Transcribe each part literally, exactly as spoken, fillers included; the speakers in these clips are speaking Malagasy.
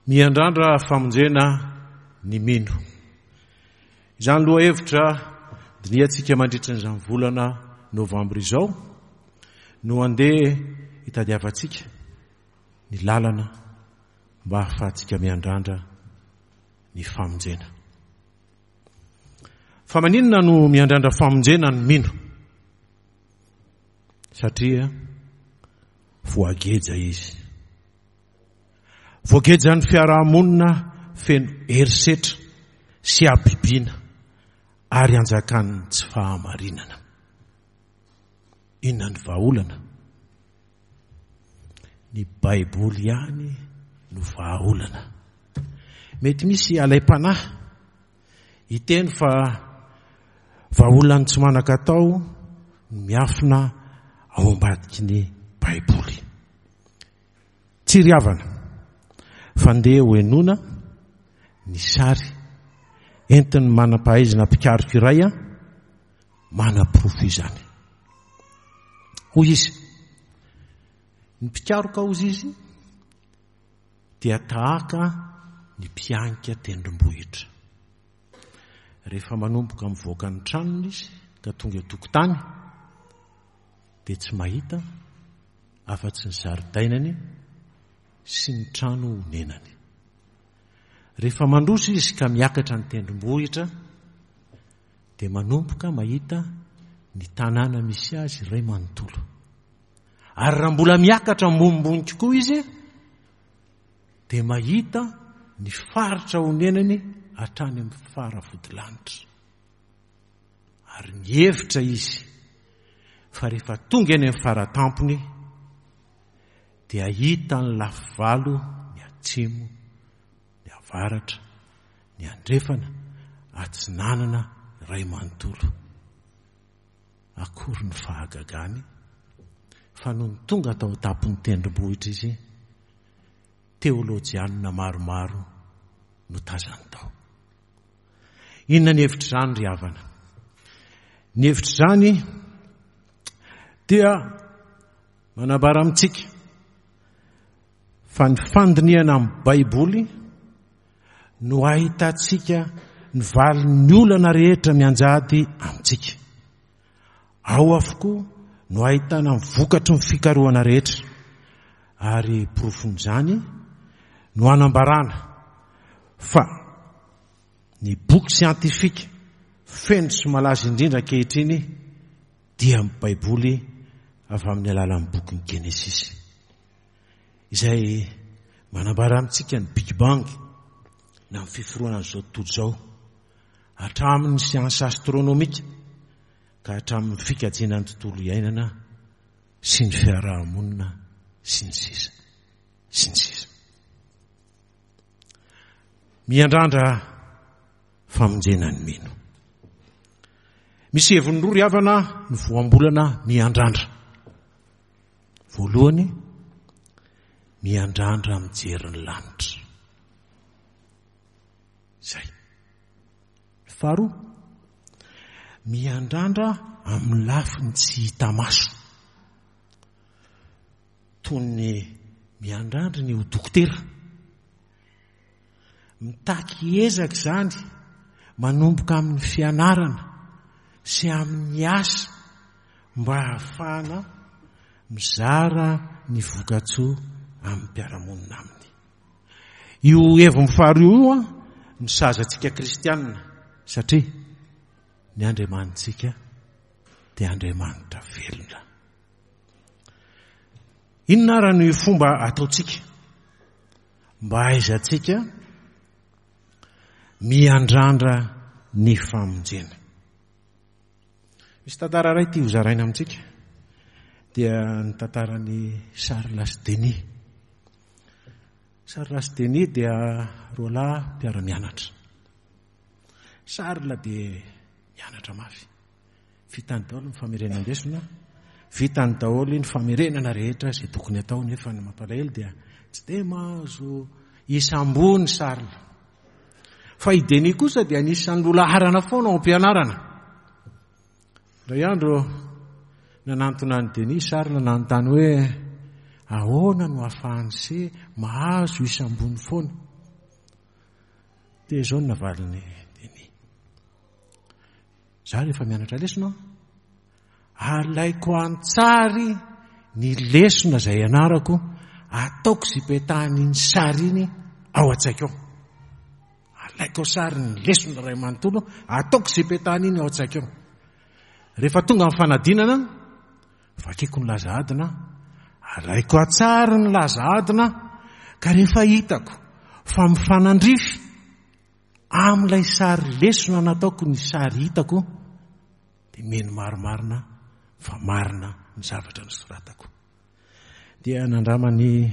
Miandrandra famonjena ny mino. Izany lohahevitra dinihantsika mandritra an'izany volana novambra izao no andeha hitadiavantsika ny lalana mba hahafahantsika miandrandra ny famonjena. Fa maninona no miandrandra famonjena ny mino? Satria voageja izy. Voagejan'ny fiarahamonina feno herisetra sy habibiana ary anjakan'ny tsy fahamarinana. Inona ny vahaolana? Ny Baiboly ihany no vahaolana. Mety misy alaim-panahy hiteny fa vahaolan'ny tsy manan-katao ny miafina ao ambadiky ny Baiboly. Tsy ry havana, fa ndeha ho henoina ny sary entin'ny manam-pahaizana mpikaroka iray manaporofo izany. Hoy izy, ny mpikaroka hozy izy dia tahaka ny mpianika tendrombohitra. Rehefa manomboka mivoaka ny tranony izy ka tonga eo tokotany dia tsy mahita afa-tsy ny zaridainany sy ny trano honenany. Rehefa mandroso izy ka miakatra ny tendrombohitra dia manomboka mahita ny tanàna misy azy iray manontolo. Ary raha mbola miakatra ambonimbony kokoa izy dia mahita ny faritra honenany hatrany amin'ny faravodilanitra. Ary mihevitra izy fa rehefa tonga eny amin'ny faratampony dia hita ny lafivalo, ny atsimo, ny avaratra, ny andrefana, atsinanana iray manontolo. Akory ny fahagagany fa nony tonga tao an-tampon'ny tendrombohitra izy, teolojianina maromaro no tazany tao. Inona ny hevitr'izany ry havana? Ny hevitr'izany dia manambara amintsika fa ny fandinihana amin'ny Baiboly no ahitantsika ny valin'ny olana rehetra mianjady amintsika. Ao avokoa no ahitana ny vokatry ny fikarohana rehetra, ary porofon'izany no anambarana fa ny boky siantifika feno sy malaza indrindra ankehitriny dia ny Baiboly avy amin'ny alalan'ny bokin'ny Genesisy, izay manambara amintsika ny Big Bang na ny fiforonan'izao tontolo izao, hatramin'ny siansa astronomika ka hatramin'ny fikajiana ny tontolo iainana sy ny fiarahamonina sy ny sisa sy ny sisa. Miandrandra famonjena ny mino. Misy heviny roa ry havana ny voambolana miandrandra. Voalohany, miandrandra mijery ny lanitra. Izay. Faharoa, miandrandra amin'ny lafiny tsy hita maso. Toy ny miandrandra ny ho dokotera. Mitaky ezaka izany manomboka amin'ny fianarana sy amin'ny asa mba hahafahana mizara ny vokatsoa amin'ny mpiara-monina aminy. Io heviny faharoa io no sahaza antsika kristianina, satria ny Andriamanitsika dia Andriamanitra velona. Inona ary ny fomba ataontsika mba hahaizantsika miandrandra ny famonjena? Misy tantara iray tia hozaraina amintsika, dia ny tantaran'i Charles sy Denis. Charles sy Denis dia roa lahy mpiara-mianatra. Charles dia mianatra mafy. Vitany daholo ny famerenan-desona, vitany daholo ny famerenana rehetra izay tokony atao, nefa ny mampalahelo dia tsy dia mahazo isa ambony Charles. Fa i Denis kosa dia anisan'ny loha laharana foana ao am-pianarana. Indray andro nanantona an'i Denis Charles nanontany hoe ahoana no ahafahan'i se mahazo isa ambony foana. Dia izao no navalin'i Denis. Izaho rehefa mianatra lesona aho, alaiko an-tsary ny lesona izay ianarako, ataoko izay ipetahany iny sary iny ao an-tsaiko ao. Alaiko sary ny lesona iray manontolo, ataoko izay ipetahany iny ao an-tsaiko ao. Rehefa tonga ny fanadinana, vakiko ny laza adina, alaiko an-tsary ny laza adina, ka rehefa hitako fa mifanandrify amin'ilay sary lesona nataoko ny sary hitako, dia mino marimarina fa marina ny zavatra nosoratako. Dia nandramany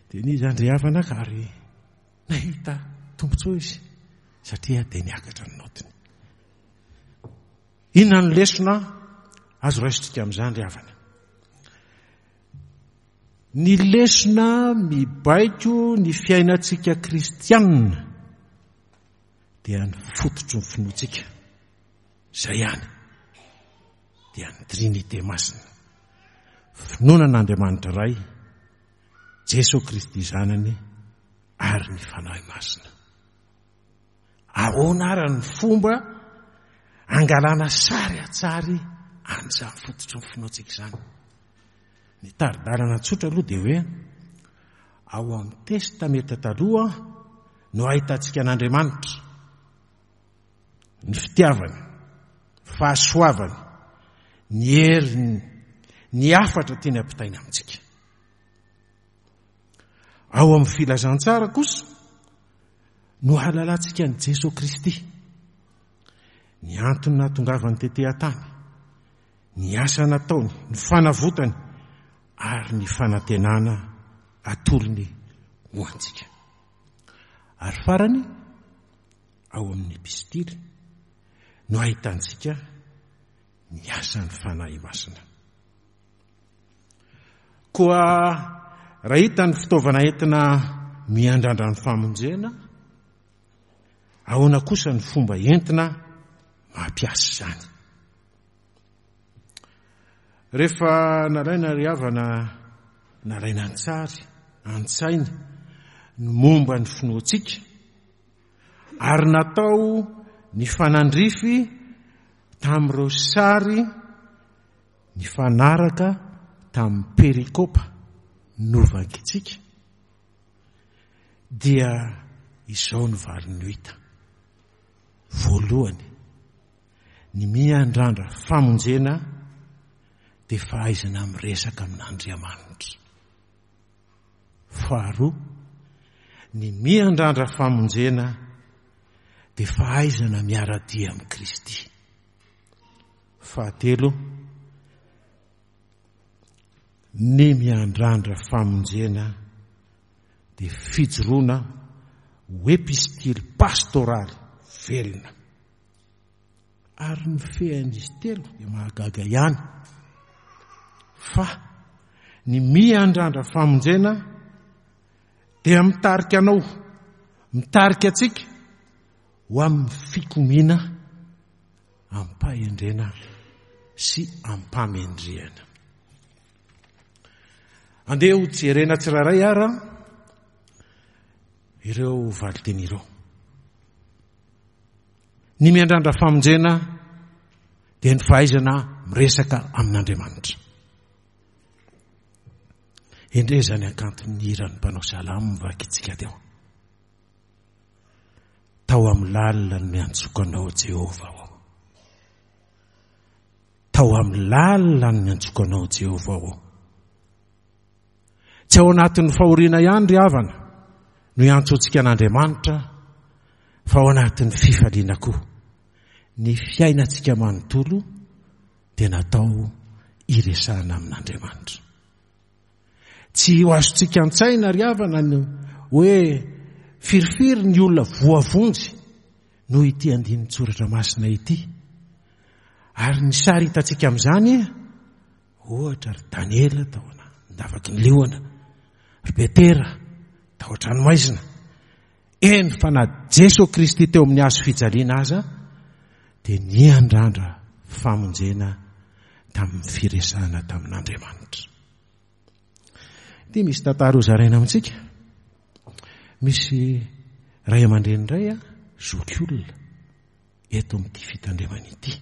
Denis Andriavana ka ary nahita tombontsoa izy satria dia niakatra ny notiny. Inona no lesona azo raisintsika amin'izany ry havana? Ny lesona mibaiko ny fiainantsika kristianina dia ny fototry ny finoantsika. Izay ihany dia ny Trinite Masina. Finoana an'Andriamanitra Ray, Jesoa Kristy Zanany ary ny Fanahy Masina. Ahoana ary ny fomba angalana sary an-tsary an'izany fototry ny finoantsika izany? Ny tari-dalana tsotra aloha dia hoe ao amin'ny Testamenta Taloha no ahitantsika an'Andriamanitra, ny fitiavany, fahasoavany, ny heriny, ny hafatra tiany ampitaina amintsika. Ao amin'ny filazantsara kosa no ahalalantsika an'i Jesoa Kristy, ny antony nahatongavany tety an-tany, ny asa nataony, ny fanavotany ary ny fanantenana atolony ho antsika. Ary farany, ao amin'ny epistily no ahitantsika ny asan'ny Fanahy Masina. Koa raha hita ny fitaovana entina miandrandra ny famonjena, ahoana kosa ny fomba entina mampiasa izany? Rehefa nalaina ry havana, nalaina an-tsary, an-tsaina ny momba ny finoantsika, ary natao ny fanandrify tamin'ireo sary nifanaraka tamin'ny perikopa novakintsika, dia izao no valiny ho hita. Voalohany, ny miandrandra famonjena dia fahaizana miresaka amin'Andriamanitra. Faharoa, ny miandrandra famonjena dia fahaizana miara-dia amin'i Kristy. Fahatelo, ny miandrandra famonjena dia fijoroana ho epistily pastoraly velona. Ary ny fean'izy telo dia mahagaga ihany fa ny miandrandra famonjena dia mitarika anao, mitarika antsika ho amin'ny fikomiana am-pahendrena sy am-pamendrehana. Andeha ho jerena tsirairay ara ireo valinteny ireo. Ny miandrandra famonjena dia ny fahaizana miresaka amin'Andriamanitra. Endrey izany hakanton'ny hiran'ny mpanao salamo mivakintsika teo. Tao amin'ny lalina no niantsoko anao, Jehovah ô. Tao amin'ny lalina no niantsoko anao, Jehovah ô. Tsy ao anatin'ny fahoriana ihany ry havana no iantsoantsika an'Andriamanitra, fa ao anatin'ny fifaliana koa. Ny fiainantsika manontolo dia natao hiresahana amin'Andriamanitra. Tsy ho azontsika an-tsaina ry havana ny hoe firifiry ny olona voavonjy noho ity andinin-tsoratra masina ity. Ary ny sary hitantsika amin'izany, ohatra ry Daniela tao an-davaky ny liona, ry Petera tao an-tranomaizina, eny fa na Jesoa Kristy teo amin'ny hazo fijaliana aza dia niandrandra famonjena tamin'ny firesahana tamin'Andriamanitra. Ity misy tantara hozaraina amintsika. Misy Ray aman-dreny indray a, zoky olona eto amin'ity fitandremana ity.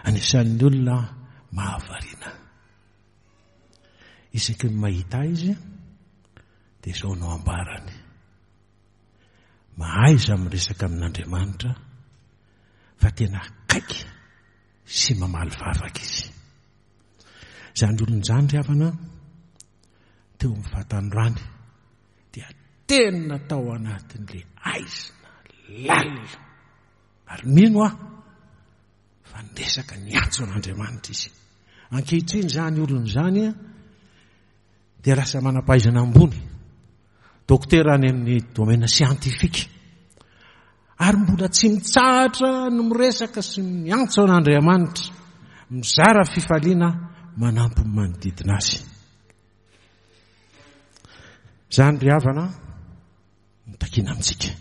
Anisan'ny olona mahavariana. Isaky ny mahita izy dia izao no ambarany. Mahaiza miresaka amin'Andriamanitra fa tena akaiky sy mamaly vavaka izy. Izany olona izany ry havana teo amin'ny fahatanorany dia tena tao anatin'ilay aizina lalina. Ary mino aho fa niresaka niantso an'Andriamanitra izy. Ankehitriny izany olona izany dia lasa manam-pahaizana ambony, dokotera any amin'ny domaine scientifique. Ary mbola tsy mitsahatra ny miresaka sy miantso an'Andriamanitra, mizara fifaliana manampy ny manodidina azy. Izany ry havana no takiana amintsika.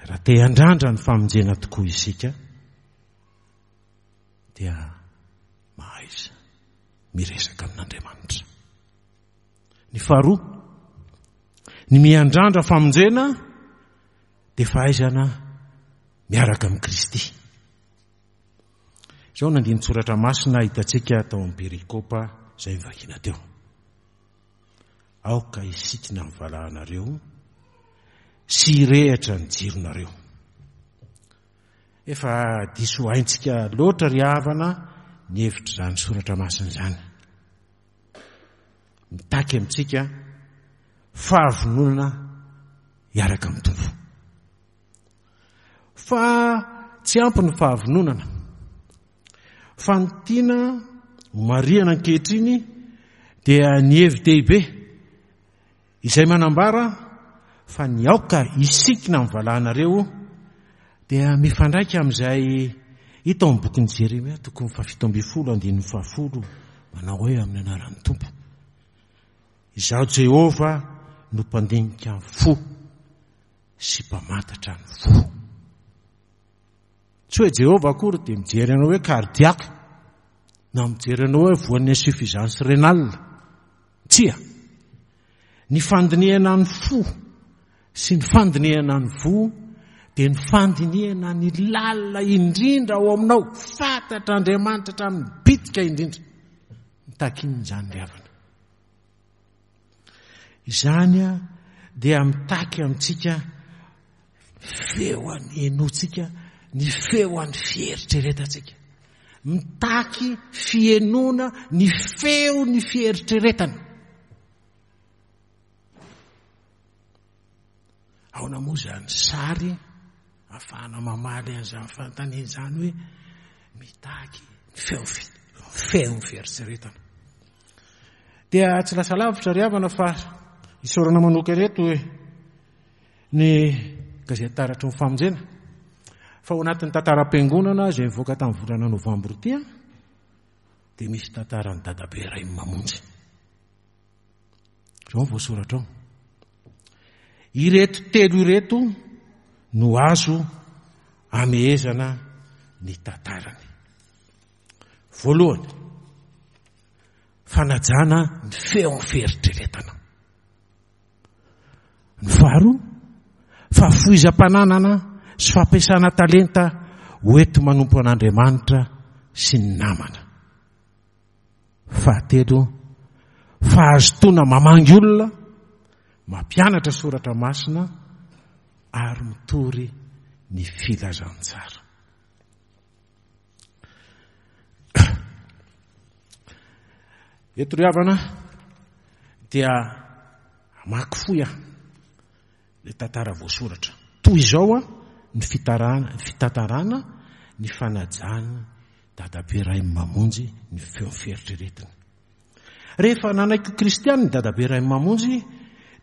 Raha te handrandra ny famonjena tokoa isika dia mahaiza miresaka amin'Andriamanitra. Ny faharoa, ny miandrandra famonjena dia fahaizana miaraka amin'i Kristy. Izao no andinin-tsoratra masina hitantsika tao amin'ny perikopa izay novakiana teo. Aoka hisikina ny valahanareo sy hirehitra ny jironareo. Efa diso haintsika loatra ry havana ny hevitr'izany soratra masina izany. Mitaky amintsika fahavononana hiaraka amin'ny Tompo. Fa tsy ampy ny fahavononana. Fa ny tiana ho marihana ankehitriny dia ny hevi-dehibe izay manambara fa ny aoka hisikina amin'ny valahanareo dia mifandraika amin'izay hita ao amin'ny bokin'i Jeremia tokony fahafito ambin'ny folo andininy fahafolo manao hoe amin'ny anaran'ny Tompo. Izaho Jehovah no mpandinika ny fo sy mpamantatra ny fo. Tsy hoe Jehovah akory dia mijery anao hoe cardiaque na mijery anao hoe voan'ny insuffisance rénale. Tsia. Ny fandinihana ny fo sy ny fandinihana ny voa dia ny fandinihana ny lalina indrindra ao aminao. Fantatr'Andriamanitra hatramin'ny bitika indrindra. Mitaky inona izany ry havana? Izany dia mitaky amintsika feo henotsika, ny feo an'ny fieritreretantsika. Mitaky fihenona ny feo ny fieritreretana. Ahoana moa izany sary ahafahana mamaly an'izany fanontaniana izany hoe mitaky ny feo feon'ny fieritreretana. Dia tsy lasa lavitra ry havana fa isaorana manokana eto ny gazety Taratry ny Famonjena fa ao anatin'ny tantaram-piangonana izay nivoaka tamin'ny volana novambra ity dia misy tantaran'ny dadabe iray mamonjy. Izao no voasoratra ao. Ireto telo ireto no azo amehezana ny tantarany. Voalohany, fanajana ny feon'ny fieritreretana. Ny faharoa, fahafoizam-pananana sy fampiasana talenta ho enti manompo an'Andriamanitra sy ny namana. Fahatelo, fahazotoana mamangy olona, mampianatra soratra masina ary mitory ny filazantsara. Eto ry havana dia hamaky fohy aho ilay tantara voasoratra. Toy izao ny fitarana, ny fitantarana ny fanajan'ny dadabe Ray Mamonjy ny feon'ny fieritreretiny. Rehefa nanaiky ho kristiana ny dadabe Ray Mamonjy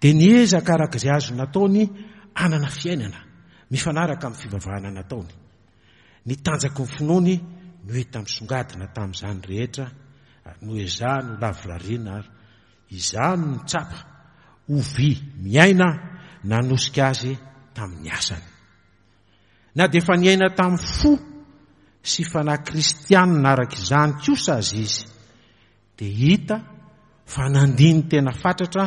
dia niezaka araka izay azo nataony hanana fiainana mifanaraka amin'ny fivavahana nataony. Ny tanjaky ny finoany no hita misongadina tamin'izany rehetra ary noezahany ho lavorariana ary izany no tsapa ho vy miaina nanosika azy tamin'ny asany. Na dia efa niaina tamin'ny fo sy fanahy kristianina araka izany kosa aza izy, dia hita fa nandini-tena fatratra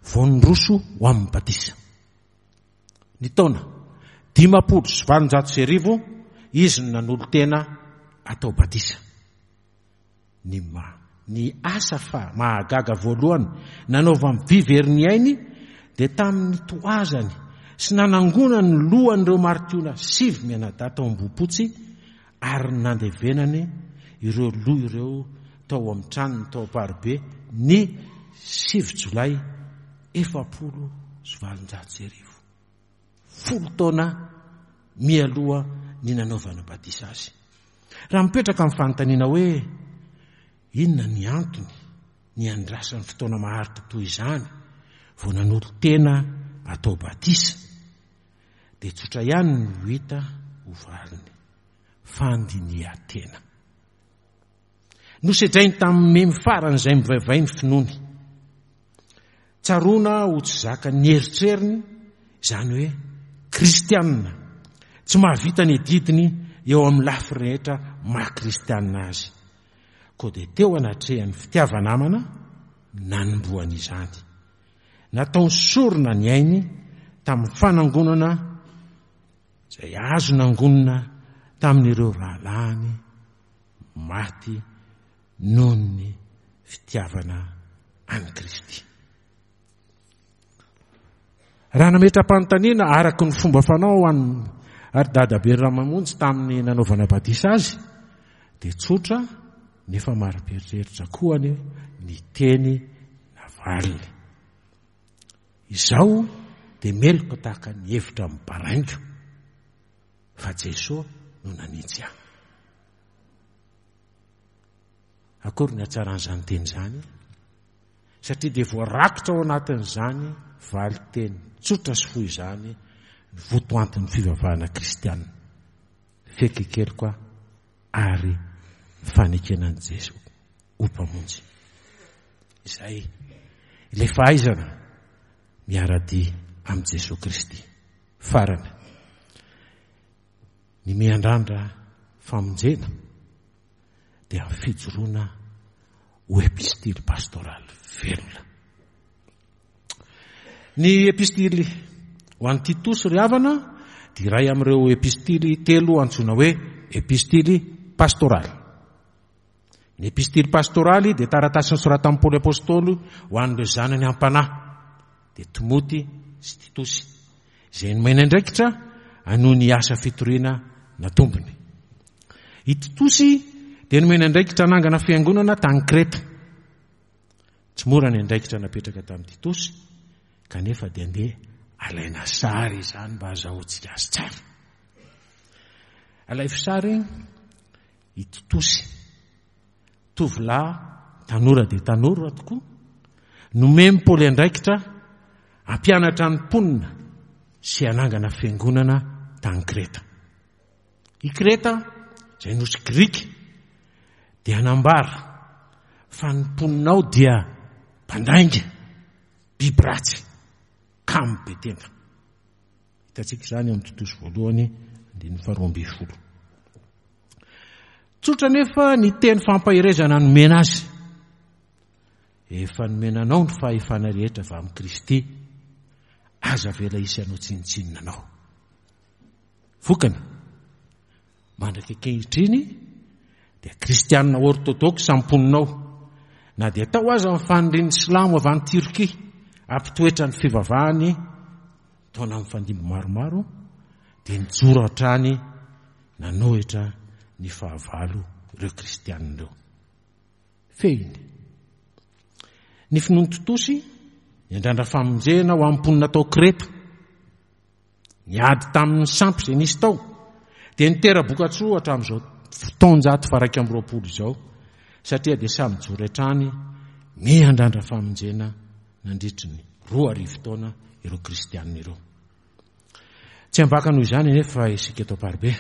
vao niroso ho amin'ny batisa. Ny taona dimampolo sy valonjato sy arivo izy no nanolo-tena atao batisa. Ny ma ny asa fa mahagaga voalohany nanaovan'i Vy very ny ainy dia tamin'ny toazany sy nanangonany ny lohan'ireo maritiona sivy mianadahy tao Ambohipotsy ary nandevenany ireo loha ireo tao amin'ny tranony tao Amparibe ny sivy jolay efapolo sy valonjato sy arivo. Folo taona mialoha ny nanaovana batisa azy. Raha mipetraka amin'ny fanontaniana hoe inona ny antony ny andrasan'ny fotoana maharitra toy izany vao nanolo-tena atao batisa, dia tsotra ihany no hita ho valiny: fandinihan-tena. Nosedrainy tamin'ny memy farany izay mivaivay ny finoany. Tsaroana ho tsy zaka ny eritreriny izany hoe kristianina tsy mahavita ny adidiny eo amin'ny lafy rehetra maha kristianina azy. Koa dia teo anatrehan'ny fitiava-namana nanombohany izany. Nataony sorona ny ainy tamin'ny fanangonana izay azo nangonina tamin'ireo rahalahiny maty noho ny fitiavana an'i Kristy. Raha nametra-panontaniana araka ny fomba fanao an'ny ary Dadabe Ramamonjy tamin'ny nanaovana batisa azy, dia tsotra nefa marim-pieritreritra koa ny ny teny navaliny. Izao dia meloka tahaka ny hevitra mibaraingo fa Jesoa no nanintsy ahy. Akory ny hatsaran'izany teny izany, satria dia voarakitra ao anatin'izany valin-teny tsotra sy fohy izany ny votoantin'ny fivavahana kristianina. Fekekeloka ary fanekena an'i Jesoa ho mpamonjy. Izay ilay fahaizana miara-dia amin'i Jesoa Kristy. Farany, ny miandrandra famonjena dia fijoroana ho epistily pastoraly velona. Ny epistily ho an'i Titosy ry havana dia iray amin'ireo epistily telo antsoina hoe epistily pastoraly. Ny epistily pastoraly dia taratasy nosoratan'i Paoly Apostoly ho an'ireo zanany am-panahy, dia Timoty sy Titosy, izay nomena andraikitra hanohy ny asa fitoriana natombony. I Titosy dia nomena andraikitra hanangana fiangonana tany Kreta. Tsy mora ny andraikitra napetraka tamin'i Titosy, kanefa dia andeha alaina sary izany mba azahoantsika azy tsara. Alaivo sary i Titosy, tovolahy tanora dia tanora tokoa, nomen'i Paoly andraikitra hampianatra ny mponina sy hanangana fiangonana tany Kreta. I Kreta, izay nosy grika, dia nambara fa ny mponinao dia mpandainga, biby ratsy, kamo be tenda. Hitantsika izany amin'ny Titosy voalohany andininy faharoa ambin'ny folo. Tsotra nefa ny teny fampaherezana nomena azy. Efa nomena anao ny fahefana rehetra avy amin'i Kristy, aza avela hisy hanao tsinontsinona anao. Vokany, mandraka ankehitriny dia kristianina ortodoksa mponinao, na dia tao aza ny fanirian'ny silamo avy any Turquie hampitoetra ny fivavahany taona mifandimby maromaro, dia nijoro hatrany nanohitra ny fahavalo ireo kristianina ireo. Fehiny, ny finoan'i Titosy niandrandra famonjena ho amin'ny mponina tao Kreta, niady tamin'ny sampy izay nisy tao, dia nitera-bokatsoa hatramin'izao taonjato faha iraika amby roapolo izao, satria dia samy nijoro hatrany miandrandra famonjena nandritry ny roa arivo taona ireo kristianina ireo. Tsy ambaka noho izany anefa isika eto Amparibe,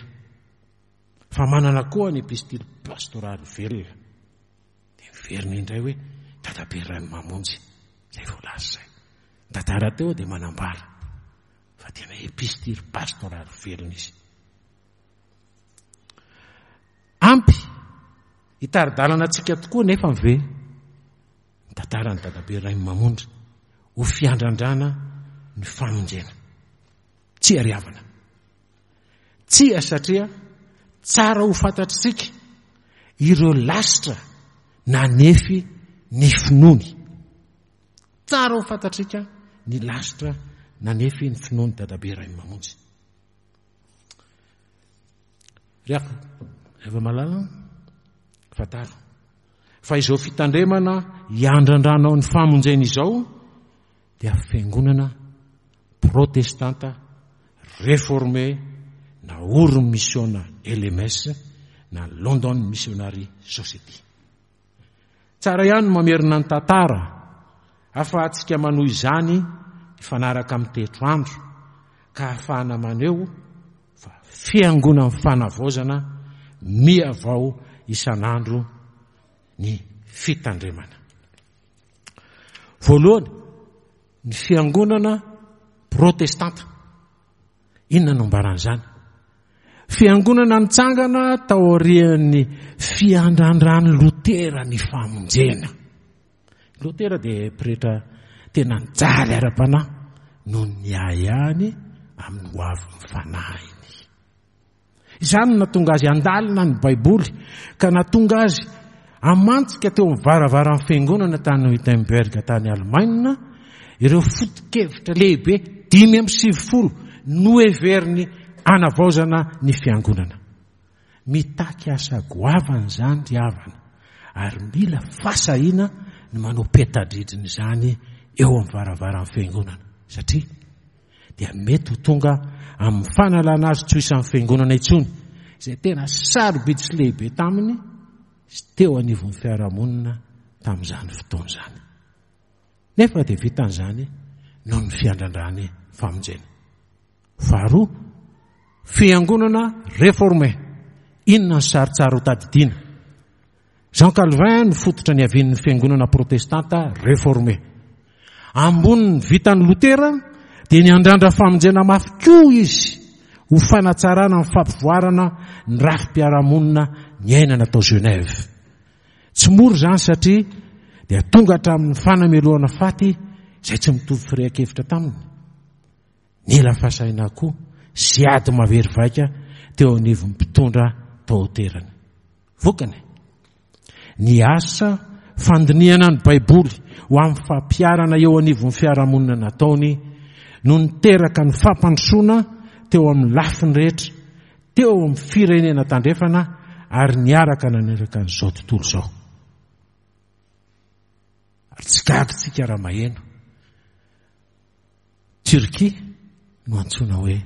fa manana koa ny epistily pastoraly velona. Dia miverina indray hoe Dadabe Ranimamonjy, izay voalaza izay. Tantara teo dia manambara fa tena epistily pastoraly velona izy. Ampy hitari-dalana antsika tokoa nefa ve ny tantaran'ny Dadabe Ranimamonjy ho fiandrandrana ny famonjena? Tsia ry havana. Tsia satria tsara ho fantatritsika ireo lasitra nanefy ny finoany. Tsara ho fantatrika ny lasitra nanefy ny finoany Dadabe Rainimamonjy. Ry hava-malala, fantaro fa izao fitandremana hiandrandranao ny famonjena izao dia fiangonana protestanta réformé naorin'ny misiona L M S na London Missionary Society. Tsara ihany mamerina ny tantara ahafahantsika manohy izany hifanaraka amin'ny toetrandro ka ahafahana maneho fa fiangonan'ny fanavaozana miavao isan'andro ny fitandremana. Voalohany, ny fiangonana protestanta. Inona no ambaran'izany? Fiangonana nitsangana taorian'ny fiandrandran'ny Lotera ny famonjena. Lotera dia pretra tena nijaly ara-panahy noho ny ahiahiny amin'ny hoavin'ny fanahiny. Izany no nahatonga azy handalina ny Baiboly ka nahatonga azy hamantsika teo amin'ny varavaran'ny fiangonana tany Wittenberg tany Allemagne ireo foto-kevitra lehibe dimy amby sivifolo noheveriny anavaozana ny fiangonana. Mitaky asa goavana izany ry havana ary mila fahasahiana ny manao peta-drindrina izany eo amin'ny varavaran'ny fiangonana satria dia mety ho tonga amin'ny fanalana azy tsy ho isan'ny fiangonana intsony izay tena sarobidy sy lehibe taminy sy teo anivon'ny fiarahamonina tamin'izany fotoana izany. Nefa dia vitan'izany noho ny fiandrandrany famonjena. Faharoa, fiangonana réformé. Inona ny sarotsara ho tadidiana? Jean Calvin no fototra niavian'ny fiangonana protestanta réformé. Ambonin'ny vitan'ny Lotera dia niandrandra famonjena mafy koa izy ho fanatsarana ny fampivoarana ny rafi-piarahamonina niainana tao Genève. Tsy mora izany satria dia tonga hatramin'ny fanamelohana faty izay tsy mitovy firehan-kevitra taminy. Nila fahasahiana koa sy ady mahery vaika teo anivon'ny mpitondra tao an-toerana. Vokany, ny asa fandinihana ny Baiboly ho amin'ny fampiharana eo anivon'ny fiarahamonina nataony no niteraka ny fampandrosoana teo amin'ny lafiny rehetra teo amin'ny firenena tandrefana ary niaraka naneraka an'izao tontolo izao. Ary tsy gaga tsika raha maheno Turquie no antsoina hoe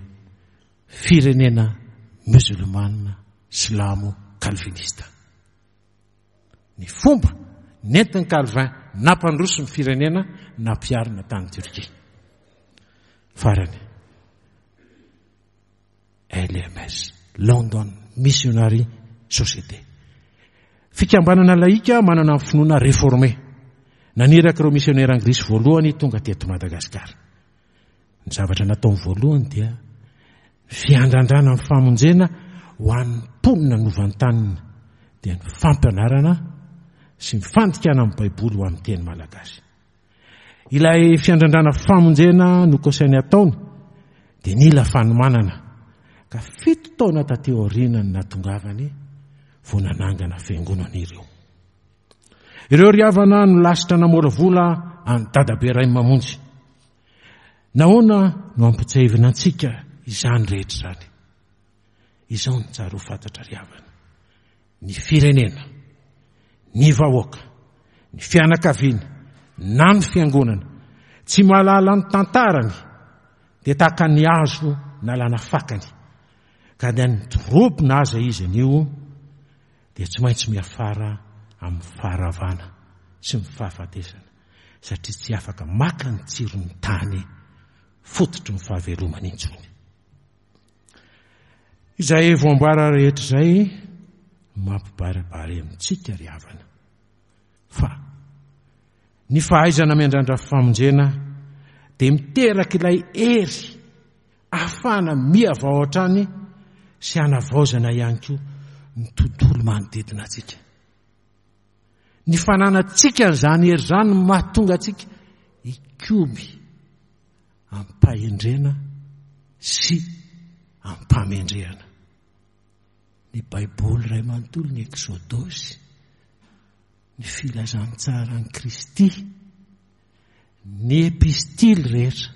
firenena musulmana silamo calvinista. Ny fomba nentin'ny Calvin nampandroso ny firenena nampiharina tany Turquie. Farany, L M S, London Missionary Society. Fikambanana laika manana ny finoana réformé. Naniraka ireo missionnaire anglisy voalohany tonga teto Madagasikara. Ny zavatra nataony voalohany dia fiandrandrana ny famonjena ho an'ny mponina novantanina dia ny fampianarana sy ny fandikana amin'ny Baiboly ho amin'ny teny malagasy. Ilay fiandrandrana famonjena no kosainy ataony dia nila fanomanana ka fito taona taty aoriana ny nahatongavany vao nanangana fiangonana ireo. Ireo ry havana no lasitra namolavola an'i Dadabe Rainimamonjy. Nahoana no ampitsiahivina antsika izany rehetra izany? Izao no tsara ho fantatra ry havana. Ny firenena, ny vahoaka, ny fianakaviana, na ny fiangonana, tsy mahalala ny tantarany dia tahaka ny hazo nalana fakany. Ka dia nidorobona aza izy anio dia tsy maintsy miafara amin'ny faharavana sy ny fahafatesana satria tsy afaka maka ny tsiron'ny tany fototry ny fahavelomana intsony. Izay voambara rehetra izay mampibaribary amintsika ry havana fa ny fahaizana miandrandra famonjena dia miteraka ilay hery ahafahana miavao hatrany sy hanavaozana ihany koa ny tontolo manodidina antsika. Ny fananantsika izany hery izany no mahatonga antsika hikomy amim-pahendrena sy amim-pahamendrehana. Ny Baiboly iray manontolo, ny Eksodosy, ny filazantsaran'i Kristy, ny epistily rehetra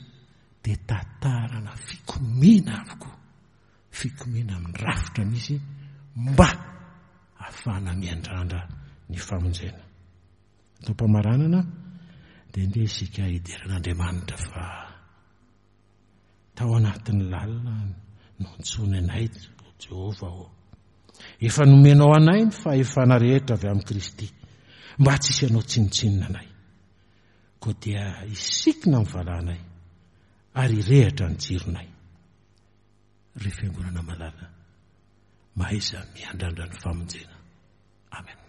dia tantarana fikomiana avokoa, fikomiana amin'ny rafitra misy mba ahafahana miandrandra ny famonjena. Atao-pamaranana dia ndeha isika hidera an'Andriamanitra fa tao anatin'ny lalina no nantsoiny anay, Jehovah ô. Efa nomenao anay ny fahefana rehetra avy amin'i Kristy mba tsy hisy hanao tsinontsinona anay. Koa dia hisikina ny valanay ary hirehitra ny jironay. Ry fiangonana malala, mahaiza miandrandra ny famonjena. Amen.